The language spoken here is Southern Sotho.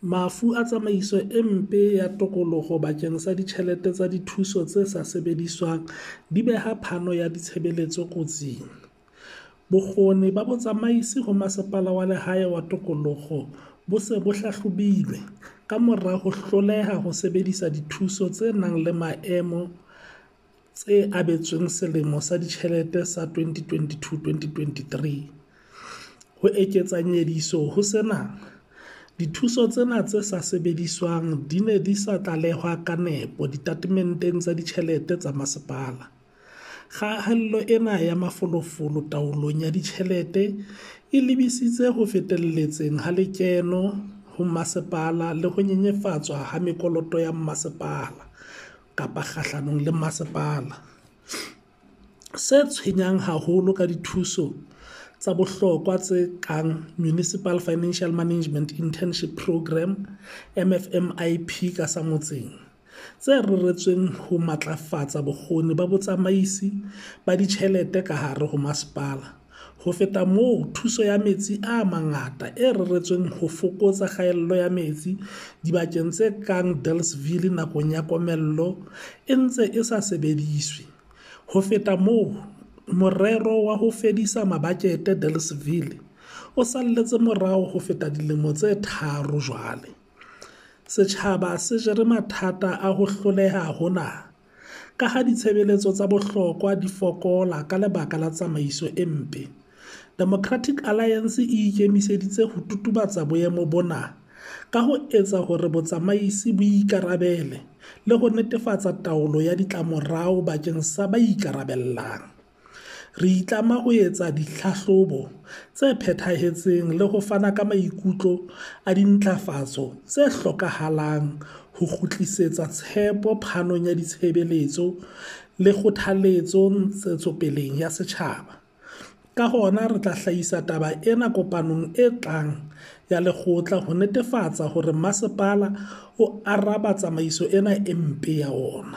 Mafu a tsamaiso e mpe ya tokoloho bakeng sa ditjhelete tsa dithuso tse sa sebediswang di beha phano ya ditshebeletso kotsing. Bokgoni ba botsamaisi ho Masepala wa Lehae wa Tokoloho bo se bo hlahlobilwe, kamora ho hloleha ho sebedisa dithuso tse nang le maemo tse abetsweng selemo sa ditjhelete sa 2022-2023. Ho eketsa nyediso ho sena, dithuso tsena tse sa sebediswang di ne di sa tlalehwa ka nepo ditatementeng tsa ditjhelete tsa masepala. Kgaello ena ya mafolofolo taolong ya ditjhelete e lebisitse ho fetelletseng ha lekeno ho masepala le ho nyenyefatswa ha mekoloto ya masepala kgahlanong le masepala. Se tshwenyang haholo ke dithuso tsa bohlokwa tse kang Municipal Financial Management Internship Programme, MFMIP ka sa motseng, tse reretsweng ho matlafatsa bokgoni ba botsamaisi ba ditjhelete ka hare ho masepala. Ho feta moo, thuso ya metsi a mangata e reretsweng ho fokotsa kgaello ya metsi dibakeng tse kang Delareyville nakong ya komello, e ntse e sa sebediswe. Ho feta moo, morero wa ho fedisa mabakete Delareyville o salletse morao ho feta dilemo tse tharo jwale. Setjhaba se jere mathata a ho hloleha hona, ka ha ditshebeletso tsa bohlokwa di fokola ka lebaka la tsamaiso e mpe. Democratic Alliance e ikemiseditse ho totobatsa boemo bona ka ho etsa hore botsamaisi bo ikarabele le ho netefatsa taolo ya ditlamorao bakeng sa ba ikarabellang. Re itlama ho etsa ditlhahlobo tse phethahetseng le ho fana ka maikutlo a dintlafatso tse hlokahalang ho kgutlisetsa tshepo phanong ya ditshebeletso le kgothaletso ntshetsopeleng ya setjhaba. Ka hona re tla hlahisa taba ena kopanong e tlang ya lekgotla ho netefatsa hore masepala o araba tsamaiso ena e mpe ya ona.